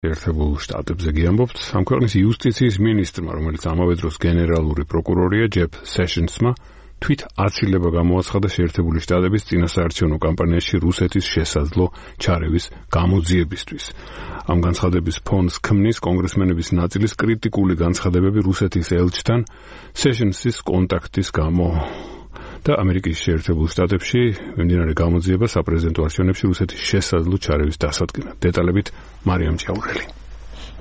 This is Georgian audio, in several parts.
ერთებულ შტატებზე გიამბობთ, ამ ქვეყნის იუსტიციის მინისტრმა, რომელიც ამავე დროს გენერალური პროკურორია, ჯეფ სეშენსმა თვით აცილება გამოაცხადა შეერთებული შტატების წინასაარჩევნო კამპანიაში რუსეთის შესაძლო ჩარევის გამოძიებისთვის. ამ განცხადების ფონს ქმნის კონგრესმენების ნაწილის კრიტიკული განცხადებები რუსეთის ელჩთან სეშენსის კონტაქტის გამო და ამერიკის შეერთებულ შტატებში მიმდინარე გამოძიება საპრეზიდენტო არჩევნებში რუსეთის შესაძლო ჩარევის დასადგენად. დეტალებით მარიამ ჭაურელი.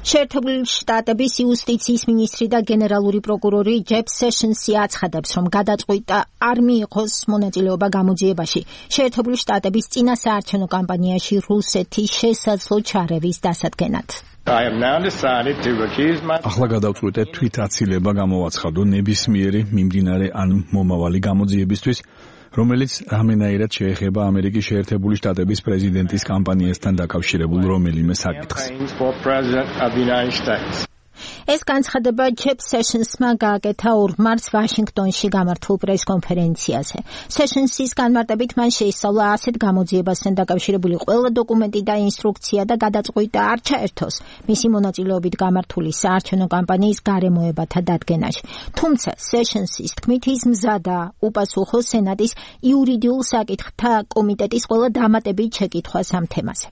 შეერთებული შტატების იუსტიციის მინისტრი და გენერალური პროკურორი ჯეფ სეშენსი აცხადებს, რომ გადაწყვიტა არ მიიღოს მონაწილეობა გამოძიებაში შეერთებული შტატების წინასაარჩევნო კამპანიაში რუსეთის შესაძლო ჩარევის დასადგენად. ახლა გადავწყვიტე თვით აცილება გამოვაცხადო ნებისმიერი მიმდინარე ან მომავალი გამოძიებისთვის, რომელიც რამენაირად შეეხება ამერიკის შეერთებული შტატების პრეზიდენტის კამპანიასთან დაკავშირებულ რომელიმე საკითხს. ეს განცხადება ჯეფ სეშენსმა გააკეთა 2 მარტს ვაშინგტონში გამართულ პრესკონფერენციაზე. სეშენსის განმარტებით მან შეისწავლა ასეთ გამოძიებასთან დაკავშირებული ყველა დოკუმენტი და ინსტრუქცია და გადაწყვიტა არ ჩაერთოს მისი მონაწილეობით გამართული საარჩევნო კამპანიის გარემოებათა დადგენაში. თუმცა სეშენსის თქმით ის მზადაა უპასუხოს სენატის იურიდიულ საკითხთა კომიტეტის ყველა დამატებით შეკითხვას ამ თემაზე.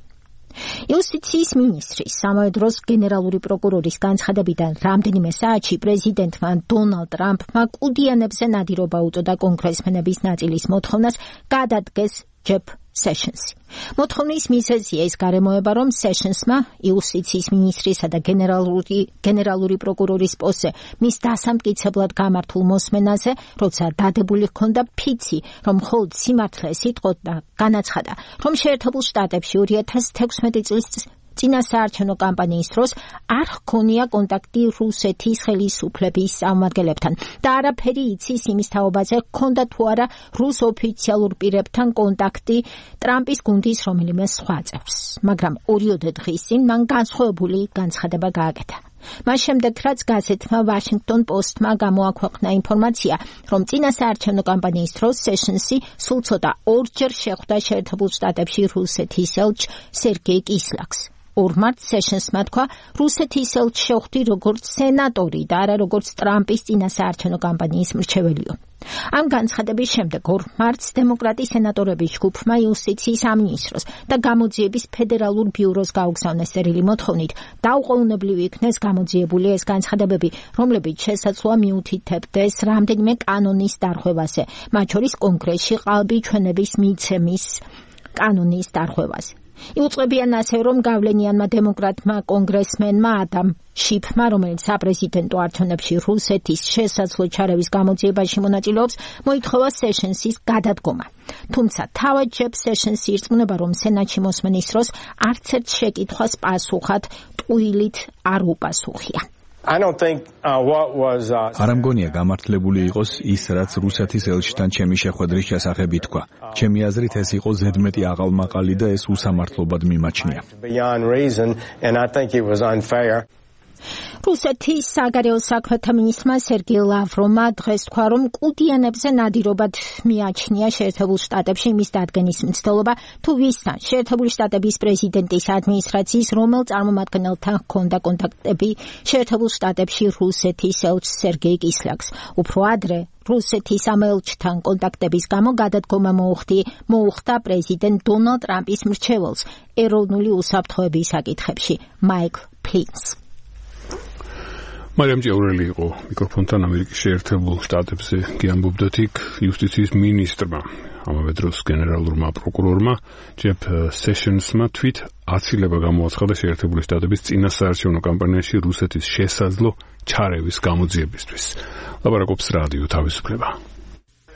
იუსტიციის მინისტრის ამავე დროს გენერალური პროკურორის განცხადებიდან რამდენიმე საათში პრეზიდენტმა დონალდ ტრამპმა კუდიანებზე ნადირობა უწოდა კონგრესმენების ნაწილის მოთხოვნას გადადგეს ჯეფ სეშენსი. მოთხოვნის მიზეზია ის გარემოება, რომ სეშენსმა იუსტიციის მინისტრისა და გენერალური პროკურორის პოსტზე მის დასამტკიცებლად გამართულ მოსმენაზე, როცა დადებული ჰქონდა ფიცი, რომ მხოლოდ სიმართლეს იტყოდა და განაცხადა, რომ შეერთებულ შტატებში 2016 წლის წინასაარჩევნო კამპანიის დროს არ ჰქონია კონტაქტი რუსეთის ხელისუფლების წარმომადგენლებთან და არაფერი იცის იმის თაობაზე, ჰქონდა თუ არა რუს ოფიციალურ პირებთან კონტაქტი ტრამპის გუნდის რომელიმე სხვა წევრს. მაგრამ 2 დღის წინ მან განსხვავებული განცხადება გააკეთა. მას შემდეგ, რაც გაზეთმა ვაშინგტონ პოსტმა გამოაქვეყნა ინფორმაცია, რომ წინასაარჩევნო კამპანიის დროს სეშენსი სულ ცოტა 2-ჯერ შეხვდა შეერთებულ შტატებში რუსეთის ელჩ სერგეი კისლაკს. 2 მარტს სეშენსმა თქვა, რუსეთის ელჩს შეხვდი როგორც სენატორი და არა როგორც ტრამპის წინასაარჩევნო კამპანიის მრჩეველიო. ამ განცხადების შემდეგ 2 მარტს დემოკრატი სენატორების ჯგუფმა იუსტიციის სამინისტროს და გამოძიების ფედერალურ ბიუროს გაუგზავნეს წერილი მოთხოვნით დაუყოვნებლივ იქნეს გამოძიებული ეს განცხადებები, რომლებიც შესაძლოა მიუთითებდეს რამდენიმე კანონის დარღვევაზე, მათ შორის კონგრესში ყალბი ჩვენების მიცემის კანონის დარღვევაზე. იუწყებიან ასე, რომ გავლენიანმა დემოკრატმა კონგრესმენმა ადამ შიფმა, რომელიც საპრეზიდენტო არჩევნებში რუსეთის შესაძლო ჩარევის გამოძიებაში მონაწილეობს, მოითხოვა სეშენსის გადადგომა. თუმცა თავად ჯეფ სეშენსი ირწმუნება, რომ სენატში მოსმენის დროს არც ერთ შეკითხვას პასუხად ტყუილით არ უპასუხია. არ მგონია გამართლებული იყოს ის, რაც რუსეთის ელჩთან ჩემი შეხვედრის შესახებ ითქვა. ჩემი აზრით ეს იყო ზედმეტი აყალმაყალი და ეს უსამართლობად მიმაჩნია. რუსეთის საგარეო საქმეთა მინისტრმა სერგეი ლავროვმა დღეს თქვა, რომ კუდიანებზე ნადირობად მიაჩნია შეერთებულ შტატებში იმის დადგენის მცდელობა, თუ ვისთან შეერთებული შტატების პრეზიდენტის ადმინისტრაციის რომელ წარმომადგენელთან ჰქონდა კონტაქტები შეერთებულ შტატებში რუსეთის ელჩს სერგეი კისლაკს. უფრო ადრე რუსეთის ამ ელჩთან კონტაქტების გამო გადადგომა მოუხდა პრეზიდენტ დონალდ ტრამპის მრჩეველს ეროვნული უსაფრთხოების საკითხებში მაიკლ ფლინს. მარიამ ჭაურელი იყო მიკროფონთან ამერიკის შეერთებულ შტატებზე გიამბობდა იქ იუსტიციის მინისტრმა, ამავე დროს გენერალურმა პროკურორმა ჯეფ სეშენსმა თვით აცილება გამოაცხადა შეერთებული შტატების წინასაარჩევნო კამპანიაში რუსეთის შესაძლო ჩარევის გამოძიებისთვის. ლაპარაკობს რადიო თავისუფლება.